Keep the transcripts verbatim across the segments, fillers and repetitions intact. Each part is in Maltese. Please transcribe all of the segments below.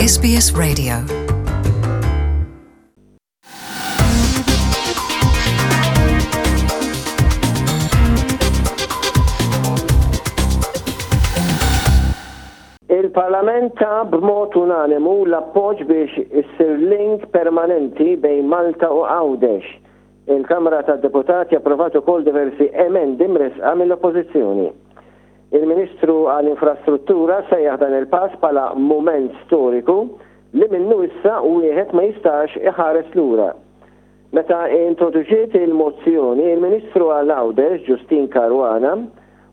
S B S Radio. Il-Parlament ta b'mod unanimu l-appoġġ biex issir link permanenti bejn Malta u Għawdex. Il-Kamra tad-Deputati approvat ukoll diversi emendi mresqa mill-Oppożizzjoni. Il-Ministru għall-Infrastruttura sejjaħ dan il-pass bħala mument storiku li minnu issa wieħed ma jistax iħares lura. Meta introduċiet il-mozzjoni, il-Ministru għal Għawdex, Justyne Caruana,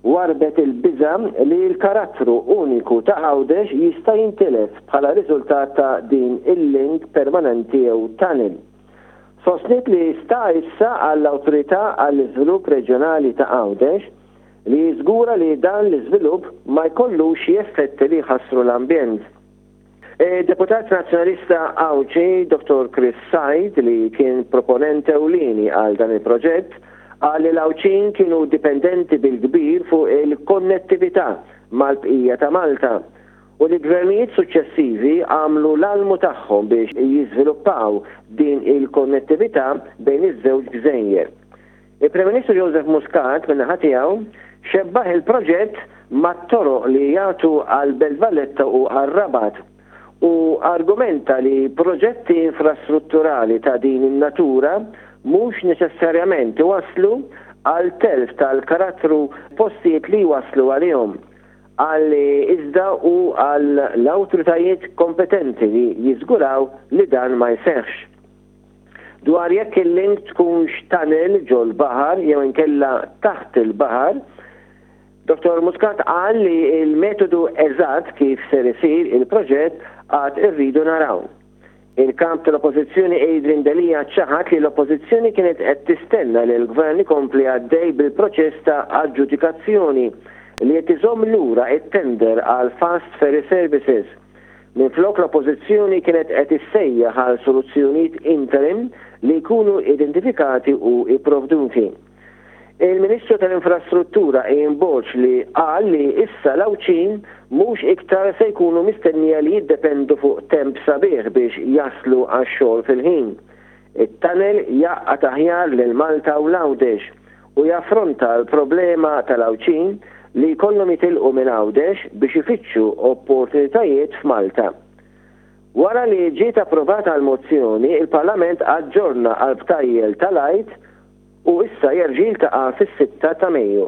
warbet il-biża li l-karattru uniku ta' Għawdex jista' jintilef bħala riżultat ta' din il-link permanenti jew tunnel. Sostniet li sta issa għall-Awtorità għall-Iżvilupp Reġjonali ta' Għawdex li jiżgura li dan l-iżvilupp ma jkollux xi effetti li jħassru l-ambjent. E, Deputat Nazzjonalista Għawdxi, Dottor Chris Said, li kien proponent ewlieni għal dan il-proġett, qal li l-Għawdxin kienu dipendenti bil-kbir fuq il-konnettività mal-bqija ta' Malta u li gvernijiet suċċessivi għamlu l-almu tagħhom biex jiżviluppaw din il-konnettività bejn iż-żewġ gżejjer. Il-Prim Ministru Joseph Muscat min-naħa tiegħu xebbaħ il-proġett mat-toroq li jagħtu għal Belt Valletta u għar-Rabat u argumenta li proġetti infrastrutturali ta' din in-natura mhux neċessarjament iwasslu għal telf tal-karattru postijiet li waslu għalihom. Qal li iżda hu għall-awtoritajiet kompetenti li jiżguraw li dan ma jseħħx. Dwar jekk il-link tkunx tunnel ġol-baħar jew inkella taħt il-baħar, Dottor Muscat qal li il-metodu eżatt kif ser isir il-proġett għad irridu naraw. Il-kap tal-Oppożizzjoni Adrian Delia ċaħat li l-Oppożizzjoni kienet qed tistenna li l-Gvern ikompli għaddej bil-proċess ta' aġġudikazzjoni li qed iżomm lura it-tender għal Fast Ferry Services. Minflok, l-Oppożizzjoni kienet qed issejjaħ għal soluzzjonijiet interim li jkunu identifikati u ipprovduti. Il-Ministru tal-Infrastruttura Ian Borg li qal li issa l-Għawdxin mhux iktar se jkunu mistennija li jiddependu fuq temp sabiħ biex jaslu għax-xogħol fil-ħin. It-tunnel jgħaqqad aħjar lil Malta u l-Għawdex u jaffronta l-problema tal-Għawdxin li jkollhom jitilqu minn Għawdex biex ifittxu opportunitajiet f'Malta. Wara li ġiet approvata l-mozzjoni, il-Parlament aġġorna għal btajjel tal-Għid u issa jerġa' jiltaqa' fis-sitta ta' Mejju.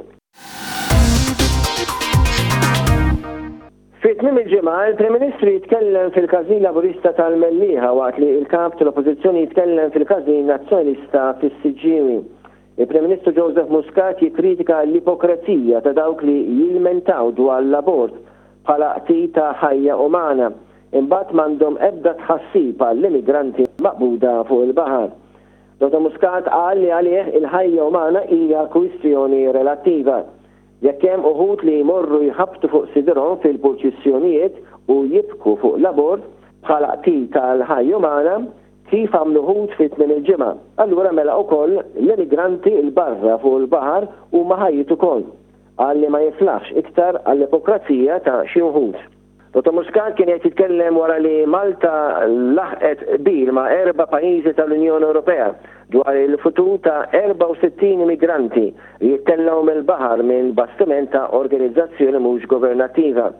Fi tmiem il-ġimgħa, il-Prim Ministru jitkellem fil-Każin Laburista tal-Mellieħa waqt li il-Kap tal-Oppożizzjoni jitkellem fil-Każin Nazzjonalista fis-Siġġiewi. Il-Prim Ministru Joseph Muscat jikkritika l-ipokrezija ta' dawk li jilmentaw dwar l-abort bħala qtil ta' ħajja umana, imbagħad m'għandhom ebda tħassib għall-immigranti maqbuda fuq il-baħar. Dottor Muscat qal li għalih il-ħajja umana hija kwistjoni relattiva. Jekk hemm uħud li jmorru jħabtu fuq sidirhom fil-purċissjonijiet u jibku fuq l-abort bħala qtil tal-ħajja umana, kif għamlu uħud fi tmiem il-ġimgħa, allura mela wkoll l-immigranti l barra fuq il-baħar huma ħajjiet ukoll. Qal li ma jiflaħx iktar għall-ipokrazija ta' xi wħud. Dottor Muscat kien qed jitkellem wara li Malta laħqet qbil ma' erba' pajjiżi tal-Unjoni Ewropea dwar il-futur ta' erbgħa u sittin immigranti li jittellgħu mill-baħar minn bastiment ta' organizzazzjoni mhux governattiva.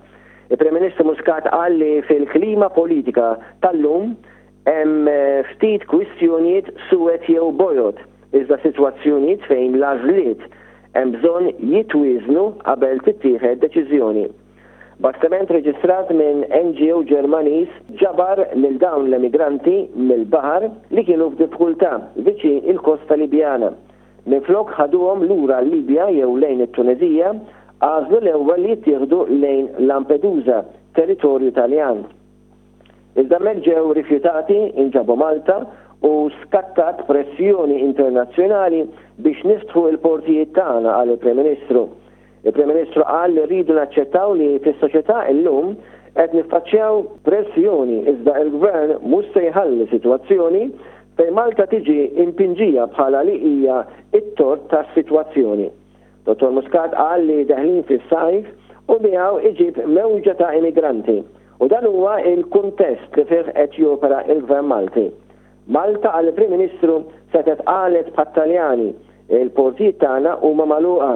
Il-Prim Ministru Muscat qal li fil-klima politika tal-lum hemm ftit kwistjonijiet suwed jew bojod, iżda sitwazzjonijiet fejn l-għażliet hemm bżonn jitwiżnu qabel tittieħed deċiżjoni. Bastiment reġistrat minn N G O Ġermaniż ġabar lil dawn l-emigranti mill-baħar li kienu f'diffikultà viċin il-kosta Libjana. Minflok ħaduhom lura l-Libja jew lejn it-Tunezija, għażlu l-ewwel li jittieħdu lejn Lampedusa, territorju Taljan. Iżda hemmhekk ġew rifjutati, inġabu Malta u skattat pressjoni internazzjonali biex niftħu il-portijiet tagħna, qal il-Prim Ministru. Il-Prim Ministru qal li rridu naċċettaw li fis-soċjetà illum qed niffaċċjaw pressjoni, iżda il-gvern mhux se jħalli sitwazzjoni fejn Malta tiġi impinġija bħala li hija it-tort tas-sitwazzjoni. Dottor Muscat qal li deħlin fis-sajf u miegħu iġib mewġa ta' immigranti. U dan huwa il-kuntest li fih qed jopera il-Gvern Malti. Malta, qal il-Prim Ministru, setgħet qalet bħat-Taljani, il-portijiet tagħna huma magħluqa.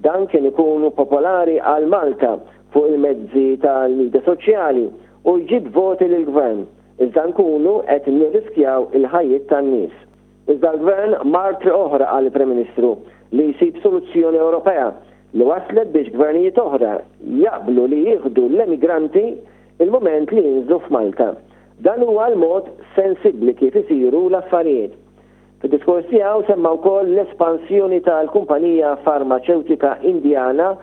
Dan kien ikunu popolari għal Malta fuq il-mezzi tal-midja soċjali u jġib voti lill-gvern, iżda nkunu qed nirriskjaw il-ħajjiet tan-nies. Iżda l-gvern mar triq oħra, qal il-Prim Ministru, li jsib soluzzjoni Ewropea li waslet biex gvernijiet oħra jaqblu li jieħdu l-emigranti il-moment li jinżlu f'Malta. Dan huwa l-mod sensibbli kif isiru l-affarijiet. Fid-diskors tiegħu semma wkoll l-espansjoni tal-kumpanija farmaċewtika Indjana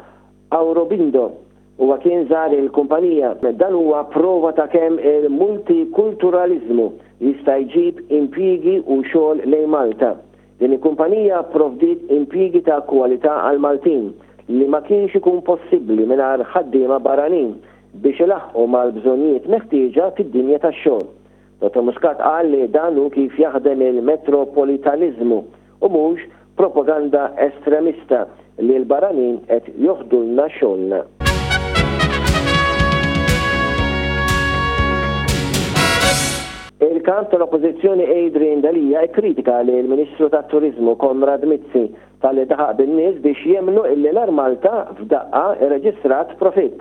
Aurobindo. Huwa kien żar il-kumpanija. Dan huwa prova ta' kemm il-multikulturalizmu jista' jġib impjiegi u xogħol lejn Malta. Din il-kumpanija provdiet impjiegi ta' kwalità għal Maltin li ma kienx ikun possibbli mingħajr ħaddiema barranin biex ilaħqu mal-bżonnijiet meħtieġa fid-dinja tax-xogħol. Dottor Muscat qal li dan hu kif jaħdem il-metropolitanizmu u mhux propaganda estremista li l-barranin qed joħdulna xogħolna. Il-kap tal-Oppożizzjoni Adrian Delia ikkritika li l-Ministru tat-Turizmu Konrad Mizzi talli daħaq bin-nies biex jemmnu illi l-Air Malta f'daqqa irreġistrat profitt.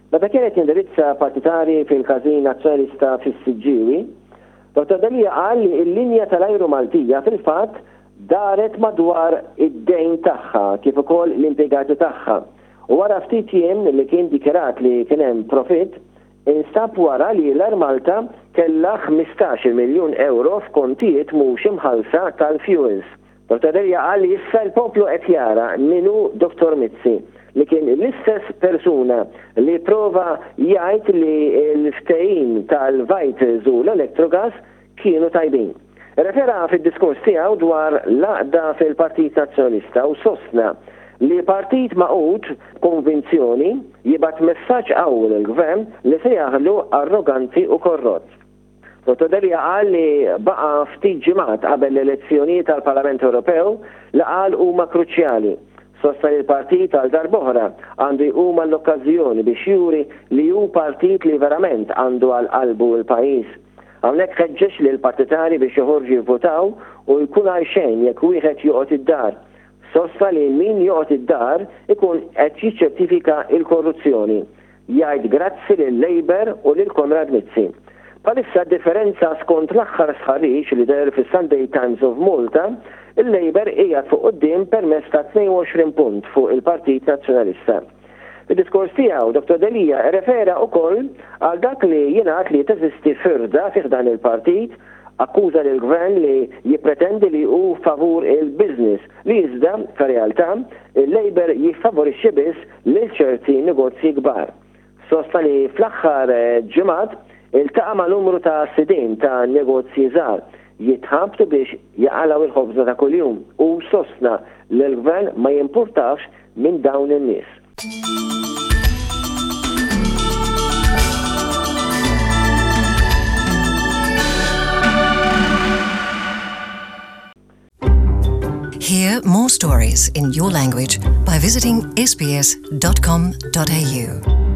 Meta kienet jindirizza partitari fil-Każin Nazzjonalista fis-Siġġiewi, Dottor Delia qal li l-linja tal-ajru Maltija fil-fatt daret madwar id-dejn tagħha kif ukoll l-impjegati tagħha. U wara ftit jiem li kien dikjarat li kien hemm profitt, instab wara li l-Air Malta kellha ħmistax-il miljun euro f'kontijiet mhux imħallsa tal-fuels. Dottor Delia qal li issa l-poplu qed jara min hu Dottor Mizzi, li kien l-istess persuna li prova jgħid li l-ftehim tal-Vitals u l-Electrogas kienu tajbin. Refera fid-diskors tiegħu dwar l-għaqda fil-Partit Nazzjonalista u sostna li partit magħqud konvinzjoni jibgħat messaġġ qawwi lill-gvern li se jaħlu arroganti u korrott. Dottor Delia qal li baqa' ftit ġimgħat qabel l-elezzjonijiet tal-Parlament Ewropew li qal huma kruċjali. Sostna li l-partit għal darb'oħra għandu jqum għall-okkażjoni biex juri li hu partit li verament għandu għal qalbu l-pajjiż. Hawnhekk ħeġġeġ lil partitari biex joħorġu jivvotaw u jkun għal xejn jekk wieħed joqgħod id-dar. Sostna li min joqgħod id-dar ikun qed jiċċertifika l-korruzzjoni. Jgħid grazzi lil Labour u lil Konrad Mizzi. Bħalissa differenza skont l-aħħar sħarriġ li deher fis-Sunday Times of Malta, il-Labour qiegħed fuq quddiem permezz ta' tnejn u għoxrin punt fuq il-Partit Nazzjonalista. Fid-diskors tiegħu, Dottor Delia refera wkoll għal dak li jingħad li teżisti firda fih dan il-partit, akkuża lill gvern li jippretendi li hu favur il-business, li iżda fir-realtà il-Labour jiffavorixxi biss lil ċerti negozji kbar. Sostna li fl-aħħar ġimgħat iltaqa' ma' numru ta' sidien ta' negozji żgħar jitħabtu biex jaqalgħu il-ħobża ta' kuljum u sostna li l-gvern ma jimpurtax minn dawn in-nies. Hear more stories in your language by visiting S B S dot com dot A U.